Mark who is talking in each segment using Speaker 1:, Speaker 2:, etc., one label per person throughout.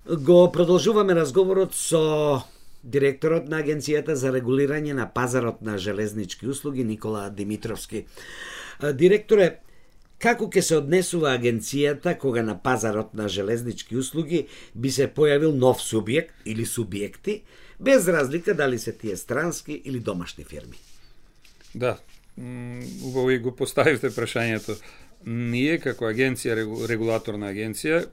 Speaker 1: Го продолжуваме разговорот со директорот на Агенцијата за регулирање на пазарот на железнички услуги Никола Димитровски. Директоре, како ќе се однесува агенцијата кога на пазарот на железнички услуги би се појавил нов субјект или субјекти, без разлика дали се тие странски или домашни фирми?
Speaker 2: Да, убаво и го поставивте прашањето. Ние како агенција, регулаторна агенција,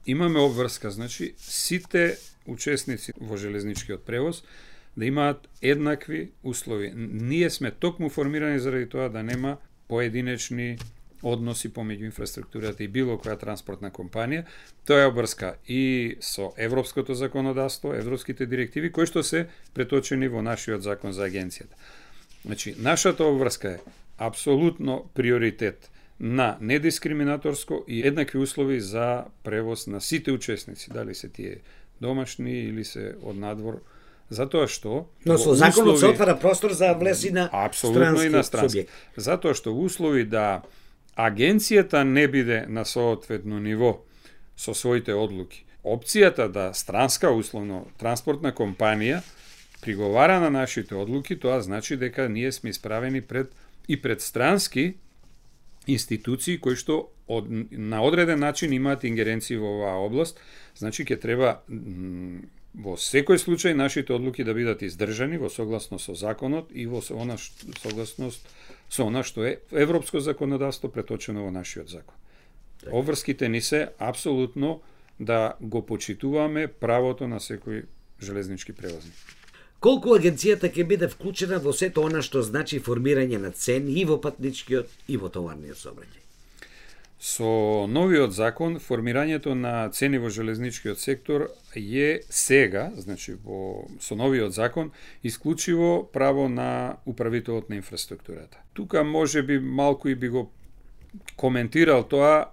Speaker 2: имаме обврска, значи сите учесници во железничкиот превоз да имаат еднакви услови. Ние сме токму формирани заради тоа да нема поединечни односи помеѓу инфраструктурата и било која транспортна компанија. Тоа е обврска и со европското законодавство, европските директиви кои што се преточени во нашиот закон за агенцијата. Значи, нашата обврска е апсолутно приоритет на недискриминаторско и еднакви услови за превоз на сите учесници, дали се тие домашни или се од надвор, затоа што
Speaker 1: Но со законот се отвара простор за влез и на странски субјект.
Speaker 2: Затоа што услови да агенцијата не биде на соодветно ниво со своите одлуки. Опцијата да странска условно транспортна компанија приговара на нашите одлуки, тоа значи дека ние сме исправени пред странски институции кои што на одреден начин имаат ингеренции во оваа област, значи ќе треба во секој случај нашите одлуки да бидат издржани во согласност со законот и во согласност со она што е европско законодавство преточено во нашиот закон. Обврските ни се апсолутно да го почитуваме правото на секој железнички превозник.
Speaker 1: Колку агенцијата ќе биде вклучена во сето она што значи формирање на цени и во патничкиот и во товарниот сообраќај?
Speaker 2: Со новиот закон, формирањето на цени во железничкиот сектор е сега, значи со новиот закон, исклучиво право на управителот на инфраструктурата. Тука може би малку и би го коментирал тоа,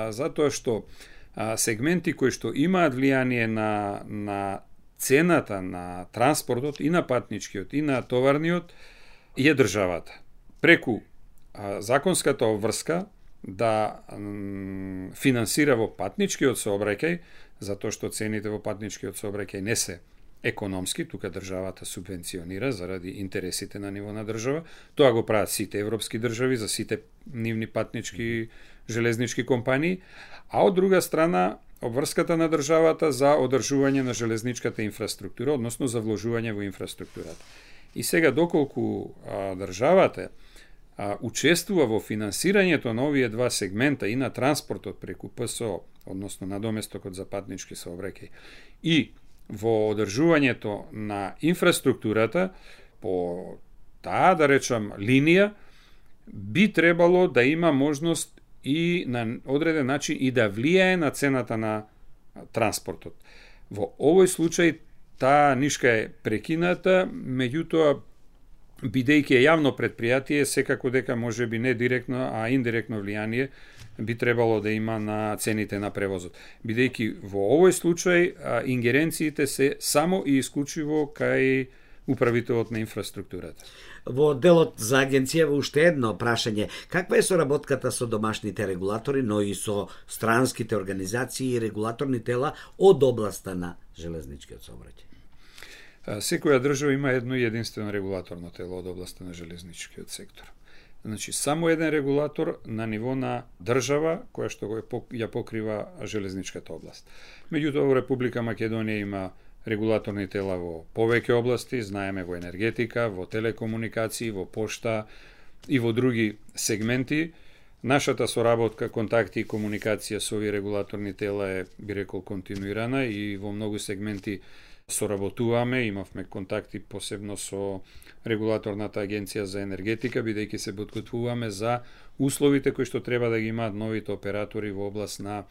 Speaker 2: затоа што сегменти кои што имаат влијание на цената на транспортот и на патничкиот и на товарниот е државата. Преку законската обврска да финансира во патничкиот сообраќај, затоа што цените во патничкиот сообраќај не се економски, тука државата субвенционира заради интересите на ниво на држава. Тоа го прават сите европски држави за сите нивни патнички железнички компании, а од друга страна обврската на државата за одржување на железничката инфраструктура, односно за вложување во инфраструктурата. И сега доколку државата учествува во финансирањето на овие два сегмента и на транспортот преку ПСО, односно на доместокот за патнички сообраќај, и во одржувањето на инфраструктурата по таа, да речам, линија, би требало да има можност и на одреден начин и да влијае на цената на транспортот. Во овој случај таа нишка е прекината, меѓутоа бидејќи е јавно предпријатие, секако дека може би не директно, а индиректно влијание би требало да има на цените на превозот. Бидејќи во овој случај ингеренциите се само и исклучиво кај управителот на инфраструктурата.
Speaker 1: Во делот за агенцијава уште едно прашање. Каква е соработката со домашните регулатори, но и со странските организации и регулаторни тела од областа на железничкиот сообраќај?
Speaker 2: Секоја држава има едно и единствено регулаторно тело од областа на железничкиот сектор. Значи, само еден регулатор на ниво на држава која што ја покрива железничката област. Меѓутоа, во Република Македонија има регулаторни тела во повеќе области, знаеме во енергетика, во телекомуникации, во пошта и во други сегменти. Нашата соработка, контакти и комуникација со овие регулаторни тела е, би рекол, континуирана и во многу сегменти соработуваме, имавме контакти посебно со регулаторната агенција за енергетика, бидејќи се подготвуваме за условите кои што треба да ги имаат новите оператори во област на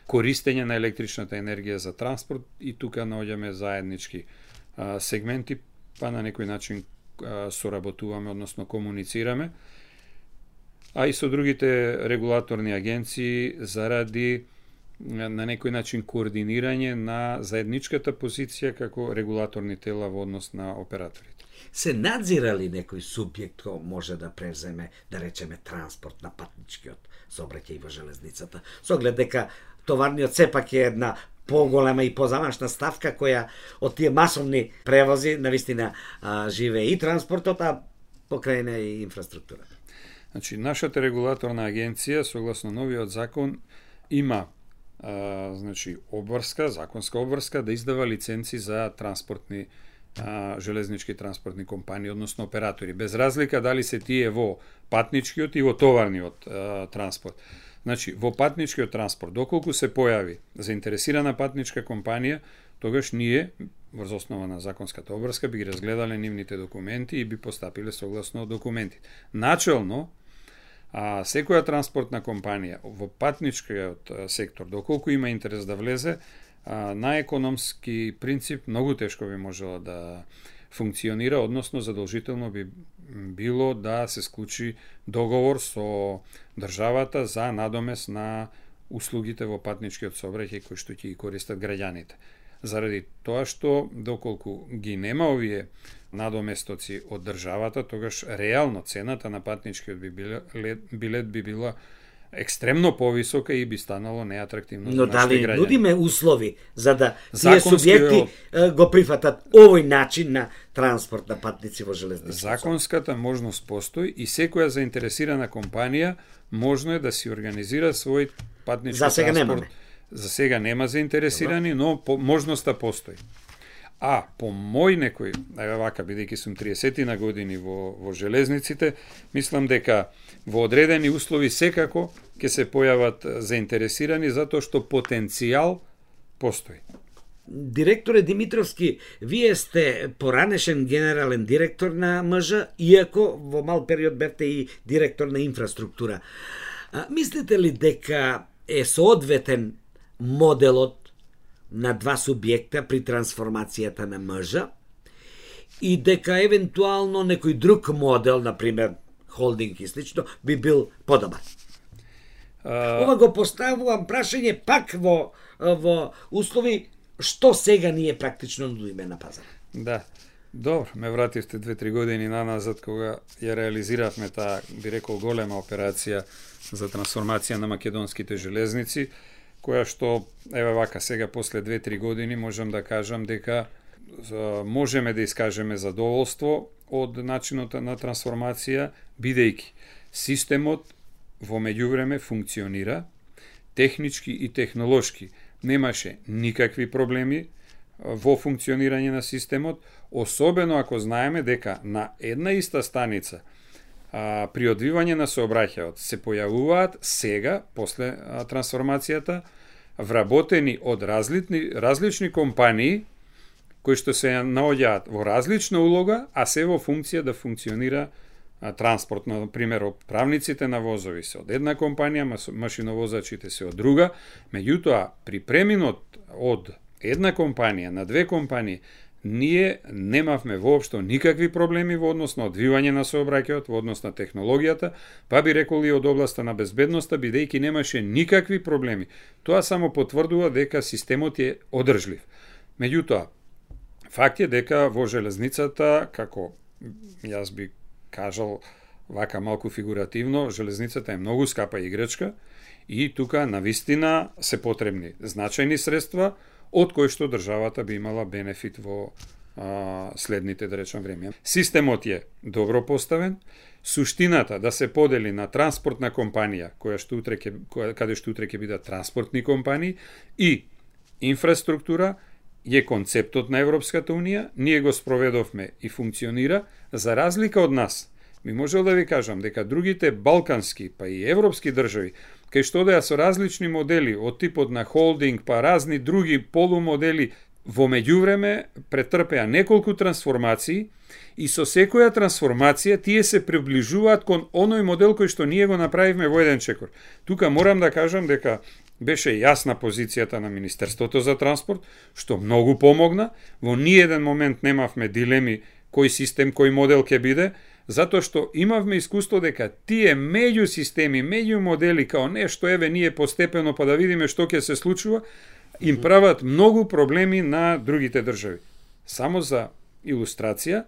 Speaker 2: користење на електричната енергија за транспорт и тука наоѓаме заеднички сегменти, па на некој начин соработуваме, односно комуницираме, а и со другите регулаторни агенции заради на некој начин координирање на заедничката позиција како регулаторни тела во однос на операторите.
Speaker 1: Се надзира ли некој субјект кој може да превземе, да речеме, транспорт на патничкиот сообраќај во железницата, со оглед дека товарниот сепак е една поголема и позамашна ставка која од тие масовни превози навистина живее и транспортот, а покрај неа и инфраструктурата.
Speaker 2: Значи, нашата регулаторна агенција, согласно новиот закон, има обврска, законска обврска да издава лиценци за транспортни железнички транспортни компании, односно оператори, без разлика дали се тие во патничкиот и во товарниот транспорт. Значи, во патничкиот транспорт, доколку се појави заинтересирана патничка компанија, тогаш ние, врз основа на законската обврска, би ги разгледале нивните документи и би постапиле согласно документите. Начелно, секоја транспортна компанија во патничкиот сектор, доколку има интерес да влезе, на економски принцип многу тешко би можело да функционира, односно задолжително би било да се склучи договор со државата за надомест на услугите во патничкиот сообраќај кои што ќе ги користат граѓаните. Заради тоа што доколку ги нема овие надоместоци од државата, тогаш реално цената на патничкиот билет би била екстремно повисока и би станало неатрактивно за нашите граѓани. Но дали
Speaker 1: нудиме услови за да тие субјекти го прифатат овој начин на транспорт на патници во железнички?
Speaker 2: Законската можност постои и секоја заинтересирана компанија можно е да си организира свој патнички
Speaker 1: за сега
Speaker 2: транспорт.
Speaker 1: Немаме.
Speaker 2: За сега нема заинтересирани, но можноста постои. А по мој некој, вака, бидејќи сум 30 на години во железниците, мислам дека во одредени услови секако ќе се појават заинтересирани, затоа што потенцијал постои.
Speaker 1: Директоре Димитровски, вие сте поранешен генерален директор на МЖ, иако во мал период бевте и директор на инфраструктура. Мислите ли дека е соодветен моделот на два субјекта при трансформацијата на МЖ и дека евентуално некој друг модел, например холдинг и слично, би бил подобар? Ова го поставувам прашање пак во услови што сега ние практично нудиме на пазар.
Speaker 2: Да, добро, ме вративте 2-3 години наназад кога ја реализиравме таа, би рекол, голема операција за трансформација на македонските железници, која што, еве вака, сега после 2-3 години можам да кажам дека можеме да искажеме задоволство од начинот на трансформација, бидејќи системот во меѓувреме функционира, технички и технолошки немаше никакви проблеми во функционирање на системот, особено ако знаеме дека на една иста станица при одвивање на сообраќајот се појавуваат сега, после трансформацијата, вработени од различни компании кои што се наоѓаат во различна улога, а се во функција да функционира транспорт. На пример, правниците на возови се од една компанија, машиновозачите се од друга, меѓутоа при преминот од една компанија на две компании, ние немавме воопшто никакви проблеми во однос на одвивање на сообраќајот, во однос на технологијата, па би рекол и од областа на безбедноста, бидејќи немаше никакви проблеми. Тоа само потврдува дека системот е одржлив. Меѓутоа, факт е дека во железницата, како јас би кажал вака малку фигуративно, железницата е многу скапа играчка и тука навистина се потребни значајни средства од кои што државата би имала бенефит во следните, да речам, време. Системот е добро поставен, суштината да се подели на транспортна компанија, каде што утре ќе бидат транспортни компании, и инфраструктура е концептот на Европската Унија, ние го спроведовме и функционира, за разлика од нас. Ми можел да ви кажам дека другите балкански, па и европски држави, кај што одеа со различни модели, од типот на холдинг, па разни други полумодели, во меѓувреме претрпеа неколку трансформации и со секоја трансформација тие се приближуваат кон оној модел кој што ние го направивме во еден чекор. Тука морам да кажам дека беше јасна позицијата на Министерството за транспорт, што многу помогна. Во ниеден момент немавме дилеми кој систем, кој модел ќе биде, затоа што имавме искуство дека тие меѓу системи, меѓу модели, као нешто, еве, ние постепено па да видиме што ќе се случува, им прават многу проблеми на другите држави. Само за илустрација,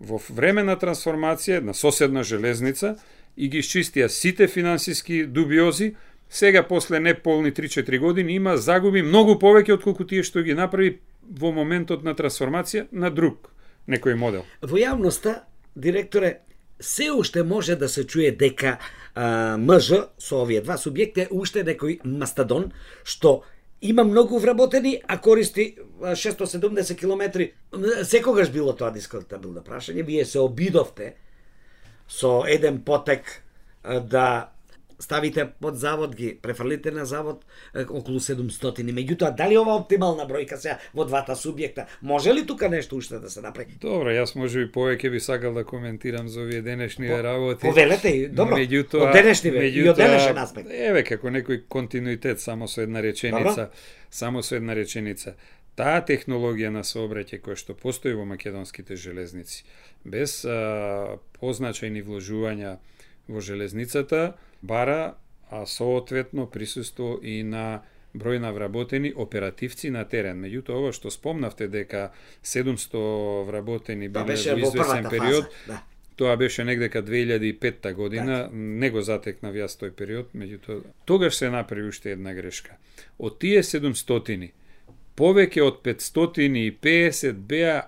Speaker 2: во време на трансформација на соседна железница и ги исчистија сите финансиски дубиози, сега после неполни 3-4 години има загуби многу повеќе отколку тие што ги направи во моментот на трансформација на друг некој модел.
Speaker 1: Во јавноста, директоре, се уште може да се чуе дека МЖ со овие два субјекти е уште некој мастадон што има многу вработени, а користи 670 километри. Секогаш било тоа дискутабилно прашање. Вие се обидовте со еден потек да ставите под завод, ги префрлите на завод околу 700. Меѓутоа, дали ова оптимална бројка сега во двата субјекта? Може ли тука нешто уште да се направи?
Speaker 2: Добро, јас може би повеќе би сакал да коментирам за овие денешни работи.
Speaker 1: Повелете, добро. Од денешни и од денешен аспект.
Speaker 2: Еве како некој континуитет само со една реченица, Таа технологија на сообраќај која што постои во македонските железници, без позначајни вложувања во железницата, бара соодветно присуство и на број на вработени оперативци на терен. Меѓутоа, ова што спомнавте дека 700 вработени биле во известен период, тоа беше негдека 2005 година, не го затекнав јас тој период, меѓутоа тогаш се направи уште една грешка. Од тие 700, повеќе од 550 беа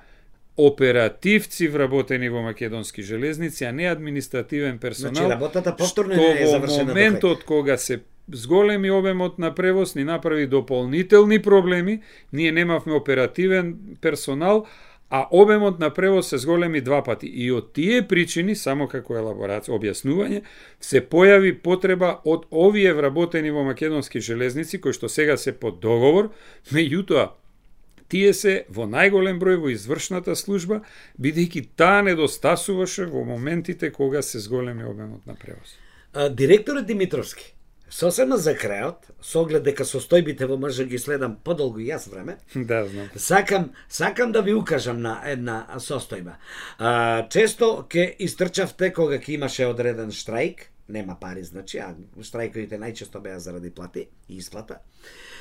Speaker 2: оперативци вработени во македонски железници, а не административен персонал.
Speaker 1: Значи, работата повторно не е завршена.
Speaker 2: Во моментот кога се зголеми обемот на превоз, ни направи дополнителни проблеми, ние немавме оперативен персонал, а обемот на превоз се зголеми два пати. И од тие причини, само како елаборација, објаснување, се појави потреба од овие вработени во македонски железници, кои што сега се под договор, меѓутоа, тие се во најголем број во извршната служба, бидејќи таа недостасуваше во моментите кога се зголеми обемот на превоз.
Speaker 1: Директорот Димитровски, сосема за крајот, со оглед дека состојбите во МЖ ги следам подолго и јас време,
Speaker 2: да, знам.
Speaker 1: Сакам да ви укажам на една состојба. Често ке истрчавте кога ќе имаше одреден штрајк, нема пари, значи, а штрајковите најчесто беа заради плати и исплата.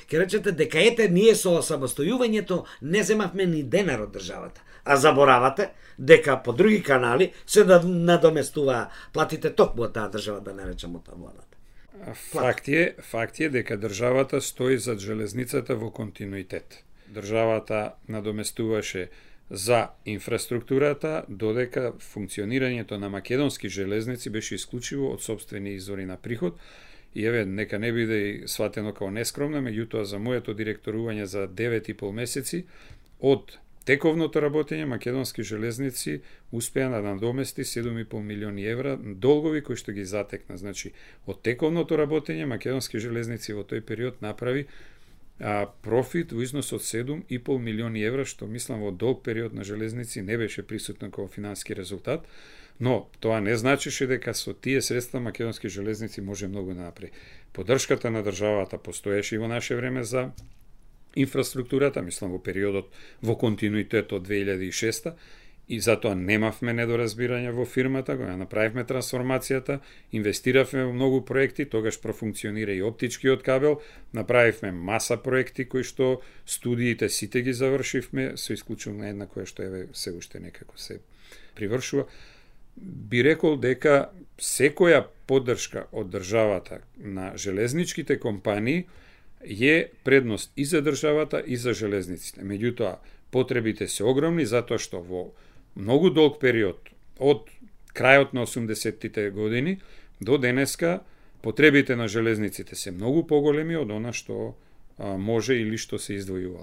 Speaker 1: Ке речете дека ете ние со самостојувањето не земавме ни денар од државата, а заборавате дека по други канали се да надоместува платите токму од таа држава, да не речам од владата.
Speaker 2: Факт е дека државата стои зад железницата во континуитет. Државата надоместуваше за инфраструктурата, додека функционирањето на македонски железници беше исклучиво од сопствени извори на приход. И еве, нека не биде сватено како нескромно, меѓутоа за моето директорување за 9,5 месеци од тековното работење македонски железници успеа да надомести 7,5 милиони евра долгови кои што ги затекна. Значи, од тековното работење македонски железници во тој период направи профит во износ од 7,5 милиони евра, што мислам во долг период на железници не беше присутно како финански резултат, но тоа не значеше дека со тие средства македонски железници може многу да направи. Поддршката на државата постоеше и во наше време за инфраструктурата, мислам во периодот во континуитет од 2006 и затоа немавме недоразбирање во фирмата, кога направивме трансформацијата, инвестиравме во многу проекти, тогаш профункционира и оптичкиот кабел, направивме маса проекти кои што студиите сите ги завршивме, со исклучување на една која што еве се уште некако се привршува. Би рекол дека секоја поддршка од државата на железничките компании е предност и за државата и за железниците. Меѓутоа, потребите се огромни затоа што во многу долг период од крајот на 80-тите години до денеска потребите на железниците се многу поголеми од она што може или што се издвојувало.